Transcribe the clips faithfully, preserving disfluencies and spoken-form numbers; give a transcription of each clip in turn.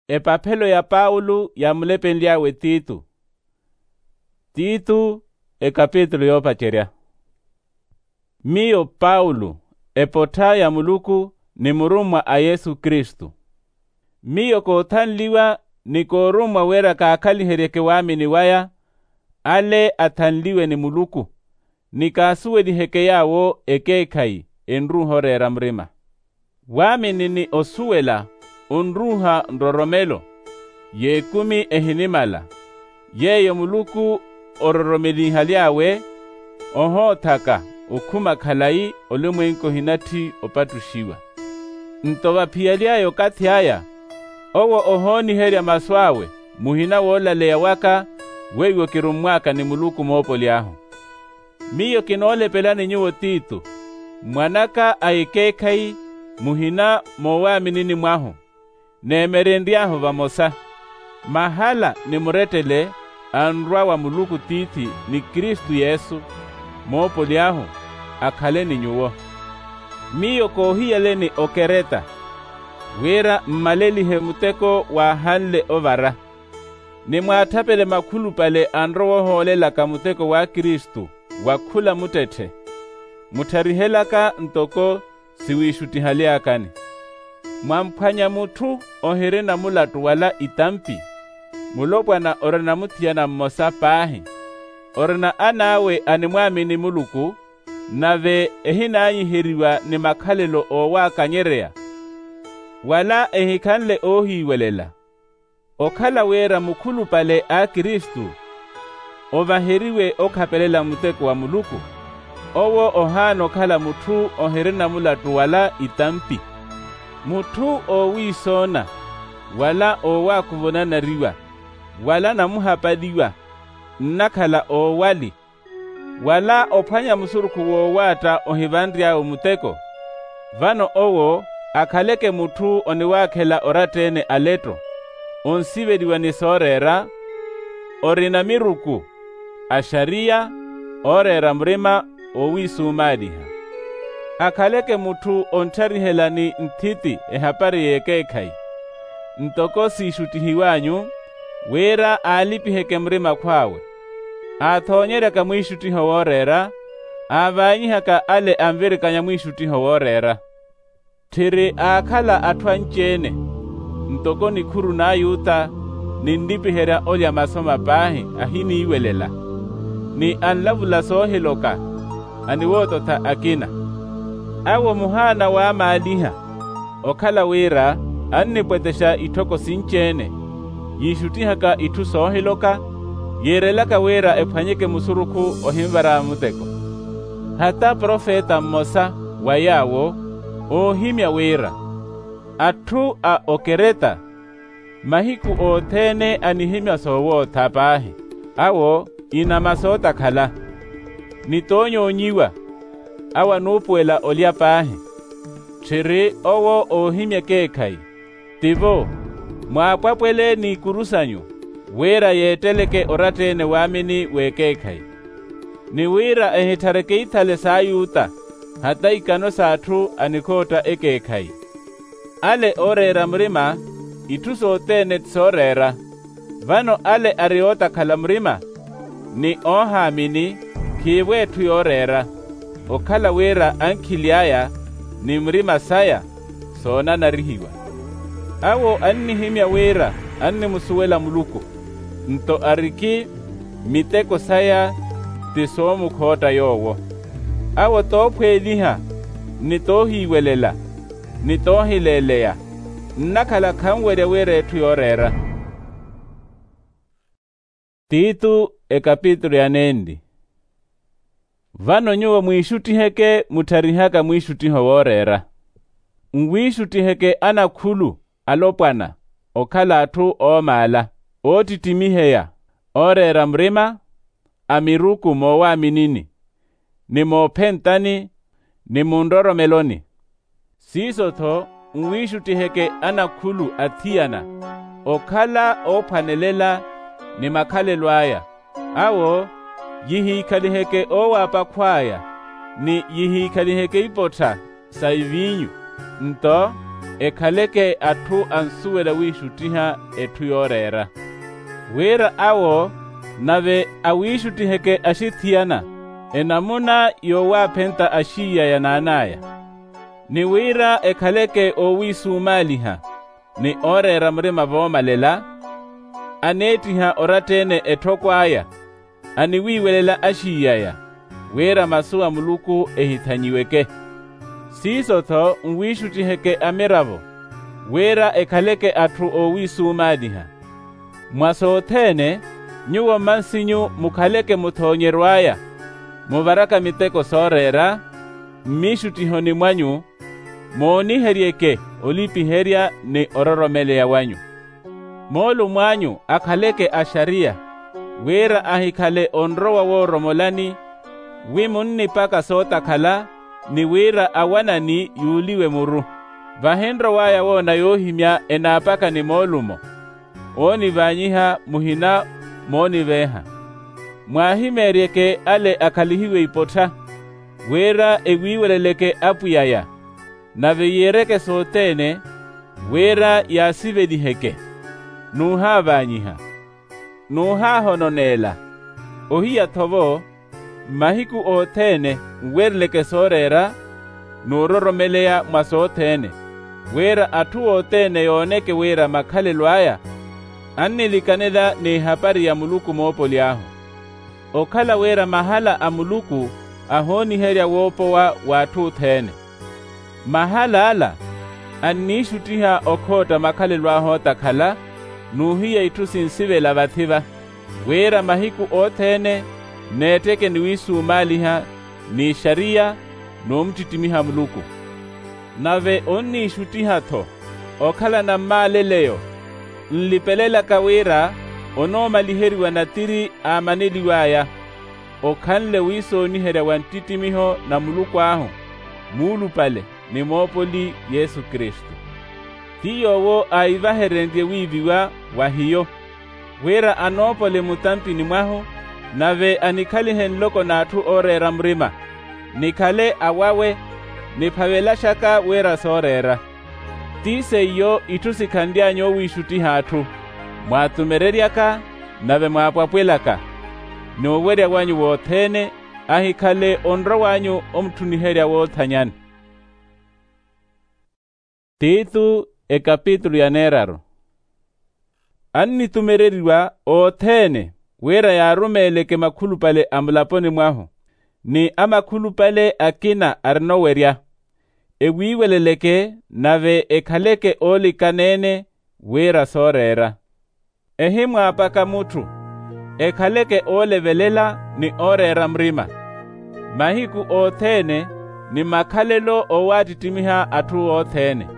Epaphelo ya paulo yaamulepenly'awe titu. Titu, ekapitulu yoopacerya. Miyo paulo, epottha ya muluku, ni murummwa a yesu kristu. Miyo koothanliwa ni koorummwa wira kaakhaliheryeke waamini waya, ale athanliwe ni muluku, ni kaasuweliheke yaawo ekeekhayi enruuha oreera murima. Waamini ni osuwela onruuha nroromelo, y'ekumi ehinimala, yeeyo muluku ororomelinhaly'awe, ohoothaka okhuma khalayi olumwenku ohinatthi opattuxiwa. Nto vaphiyaly'aya okathi aya, owo ohooniherya masu awe muhina woolaleya waka, weiwo kirummw'aka ni muluku moopoly'ahu. Miyo kinoolepelani nyuwo titu, mwan'aka a ekeekhayi, muhina moowaaminini mwahu, neemerenry'ahu vamosa, mahala ni murettele anrwa wa muluku tiithi ni kristu yesu, moopoly'ahu, akhale ni nyuwo. Miyo koohiyaleni okereta, wira mmalelihe muteko waahanle ovara, ni mwaattapele makhulupale anrowa ohoolelaka muteko wa kristu wa khula muttetthe, muttharihelaka ntoko siwiixuttihaleakani. Mwamphwanya mutthu ohirina mulattu wala itampi, mulopwana orina muthiyana mmosa paahi, orina an'awe animwaamini muluku, nave ehinaanyiheriwa ni makhalelo oowaakanyereya, wala ehikhanle oohiiwelela. Okhala wira mukhulupale a kristu ovaheriwe okhapelela muteko wa muluku, owo ohaana okhala mutthu ohirina mulattu wala itampi, mutthu oowiisoona, wala oowaakuvonanariwa, wala namuhapaliwa, nnakhala oowali, wala ophwanya musurukhu woowaatta ohivanry'awe muteko, vano owo akhaleke mutthu oniwaakhela oratta-ene aletto, onsiveliwa ni sooreera, orina miruku, axariya, ooreera murima, oowiisumaaliha. Akhaleke mutthu onttharihela ni nthiti ehapari y'ekeekhayi, ntoko siixuttihiw'anyu, wira aalipiheke murima akhw'awe, aathoonyeryaka mwiixuttiho wooreera, aavaanyihaka ale anvirikanya mwiixuttiho wooreera. Tthiri aakhala atthu anci-ene, ntoko nikhuru n'ayuta, ninlipiherya olya masu mapaahi ahiniiwelela, ni anlavula soohiloka, aniwoototha akina. Awo muhaana waamaaliha, okhala wira annipwetexa itthoko sinci-ene, yiixuttihaka itthu soohiloka, yiirelaka wira ephwanyeke musurukhu ohinvara muteko. Hata profeta mmosa wa yaawo, oohimya wira, atthu a okereta, mahiku othene anihimya soowootha paahi, awo inama sootakhala, ni toonyoonyiwa, awo anuupuwela olya paahi. Tthiri owo oohimya ekeekhayi, tivo, mwaapwapwele n'ikuru sanyu, wira yeetteleke oratta-ene waamini w'ekeekhayi, ni wira ehitthare keithale s'ayuta, hata ikano s'atthu anikhootta ekeekhayi. Ale ooreera murima, itthu sothene ti sooreera. Vano ale ari ootakhala murima, ni oohaamini, khiivo etthu yooreera, okhala wira ankhili aya, ni murima saya, soonanarihiwa. Awo annihimya wira annimusuwela muluku, nto ariki miteko saya ti soomukhootta yoowo. Awo toophweeliha, ni toohiiwelela, ni toohileeleya, nnakhala khanwerya wira etthu yooreera. Titu, ekapitulu ya nenli. Vano nyuwo mwiixuttiheke muttharihaka mwiixuttiho wooreera. Nwiixuttiheke anakhulu, alopwana, okhala atthu oomaala, oottittimiheya, ooreera murima, a miruku moowaaminini, ni moophentani, ni munroromeloni. Siiso-tho nwiixuttiheke anakhulu athiyana, okhala oophwanelela ni makhalelo aya, awo yihiikhaliheke oowaapa akhw'aya, ni yihiikhaliheke ipottha sa iviinyu, nto ekhaleke atthu ansuwela wiixuttiha etthu yooreera. Wira awo nave awiixuttiheke axithiyana enamuna yowaaphenta axiiy'aya n'an'aya. Ni wira ekhaleke oowiisumaaliha ni ooreera murima voomalela, aneettiha oratta-ene etthoko aya, aniwiiwelela axiiy'aya, wira masu a muluku ehithanyiweke. Siiso-tho nwiixuttiheke amiravo, wira ekhaleke atthu oowiisumaaliha. Mwa sothene, nyuwo mmansinyu mukhaleke muthoonyeryo aya, muvaraka miteko sooreera mmiixuttihoni mwanyu, mooniheryeke olipiherya ni ororomeleya wanyu. Moolumo anyu akhaleke axariya, wira ahikhale onrowa wooromolani, wi munnipaka sootakhala, ni wira awanani yuuliwe muru. Vahi nrow'aya woona yoohimya enaapakani moolumo, oonivaanyiha muhina mooniveeha. Mwaahimeeryeke ale akhalihiwe ipottha, wira ewiiweleleke apwiy'aya, nave yiireke sothene, wira yaasiveliheke. Nuuhaavaanyiha, nuuhaahononeela. Ohiya-tho-vo, mmahiku othene nwereleke sooreera, n'uroromeleya mwa sothene, wira atthu othene yooneke wira makhalelo aya annilikanela n'ehapari ya muluku moopoli ahu. Okhala wira mahala a muluku ahooniherya woopowa w'atthu othene. Mahal'ala anniixuttiha okhootta makhalelo ahu ootakhala, n'uhiya itthu sinsivela vathi-va, wira mahiku othene neetteke ni wiisumaaliha, n'ixariya, n'omuttittimiha muluku. Nave onniixuttiha-tho okhala nammaaleleyo, nlipelelaka wira onoomaliheriwa natiri aamaneliw'aya, okhanle wiisooniherya wa nttittimiho na muluku ahu muulupale ni moopoli yesu kristu. Ti yoowo aivaherenrye wiiviwa wa hiyo, wira anoopole mutampini mwahu, nave anikhalihe nloko n'atthu ooreera murima, nikhale awawe, niphavelaxaka wira sooreera. Ti seiyo itthu sikhanly'anyu owiixuttiha atthu, mwaatumereryaka, nave mwaapwapwelaka. Ni owerya wanyu wothene ahikhale onrow'anyu omutthuniherya woothanyani. Titu, ekapitulu ya neeraru. Annitumereriwa othene wira yaarumeeleke makhulupale a mulaponi mwahu, ni amakhulupale akina arina owerya, ewiiweleleke, nave ekhaleke oolikana-ene wira sooreera. Ehimwaapaka mutthu, ekhaleke oolevelela ni ooreera murima, mahiku othene, ni makhalelo oowattittimiha atthu othene.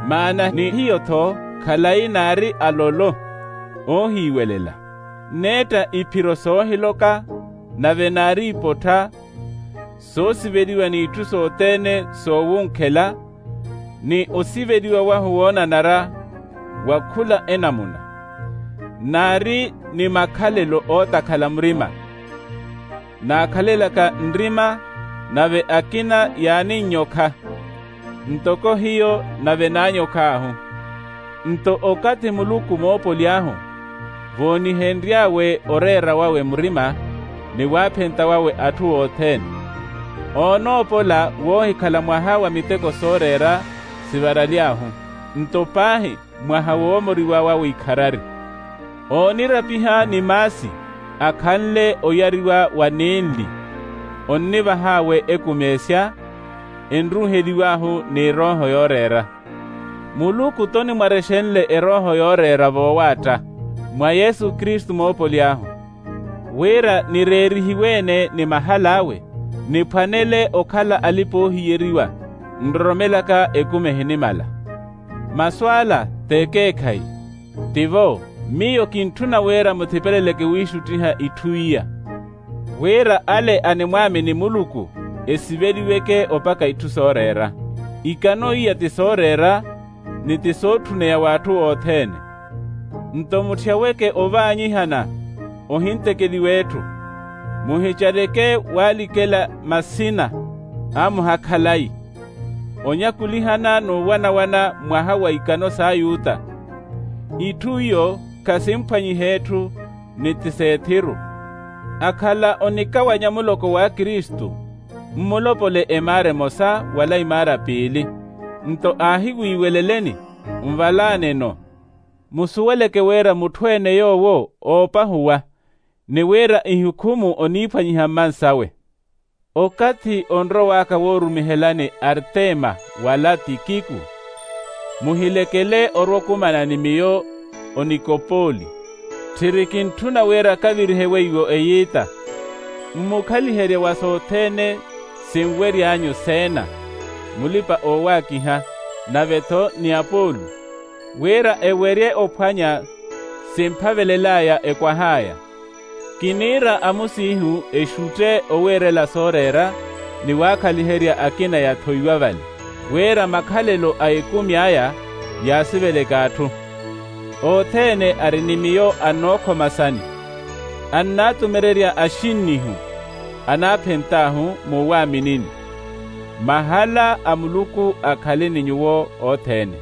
Maana ni hiyo-tho khalayi naari alolo, oohiiwelela, neetta iphiro soohiloka, nave naari ipottha, soosiveliwa n'itthu sothene soowunkhela, ni osiveliwa wahu woonanara wa khula enamuna. Naari ni makhalelo ootakhala murima, naakhalelaka nrima, nave akina yaaninyokha, ntoko hiyo nave naanyokh'ahu. Nto okathi muluku moopoli ahu voonihenry'awe oreera wawe murima, ni waaphenta wawe atthu othene, oonoopola woohikhala mwaha wa miteko sooreera sivaraly'ahu, nto paahi mwaha woomoriwa wawe ikharari. Oonirapiha ni maasi akhanle oyariwa wa ninli, onnivah'awe ekumeesya, enruuheliw'ahu n'erooho yooreera. Muluku t'onimwarexenle erooho yooreera voowaatta mwa yesu kristu moopoli ahu, wira nireerihiwe-ene ni mahal'awe, niphwanele okhala alipa-oohiyeriwa, nroromelaka ekumi ehinimala. Masu ala t'ekeekhayi. Tivo, miyo kintthuna wira muthipeleleke wiixuttiha itthu iya, wira ale animwaamini muluku esiveliweke opaka itthu sooreera. Ikano iya ti sooreera, ni ti sootthuneya w'atthu othene. Nto mutthya weke ovaanyihana ohintekeliw'etthu, muhicaleke waalikela masina a muhakhalayi. onyakulihana n'uwanawana mwaha wa ikano s'ayuta. Itthu iyo khasimphwanyiha etthu, ni ti s'ethiru. Akhala onikawanya muloko wa kristu, mmulopole emaara emosa wala imaara piili. Nto aahiwiiweleleni, nvalaaneno. Musuweleke wira mutthu-ene yoowo oopahuwa, ni wira ihukhumu oniiphwanyiha mmansawe. Okathi onrow'aka woorumihelani artema wala tikiku, muhilekele orwa okumana ni miyo. Onikopoli, tthiri kintthuna wira kavirihe weiwo eyiita. Mmukhaliherye wa sothene sinwery'anyu seena, mulipa-oowaakiha, nave-tho ni apolu, wira ewerye ophwanya simphavelel'aya ekwah'aya. Kiniira amusiihu exutte owiirela sooreera, ni waakhaliherya akina yathoiwa vale, wira makhalelo a ekumi aya yaasiveleke atthu. Othene ari ni miyo annookhoma sani, annaatumererya axinnihu, anaaphent'ahu muwaaminini. Mahala a muluku akhale ni nyuwo othene.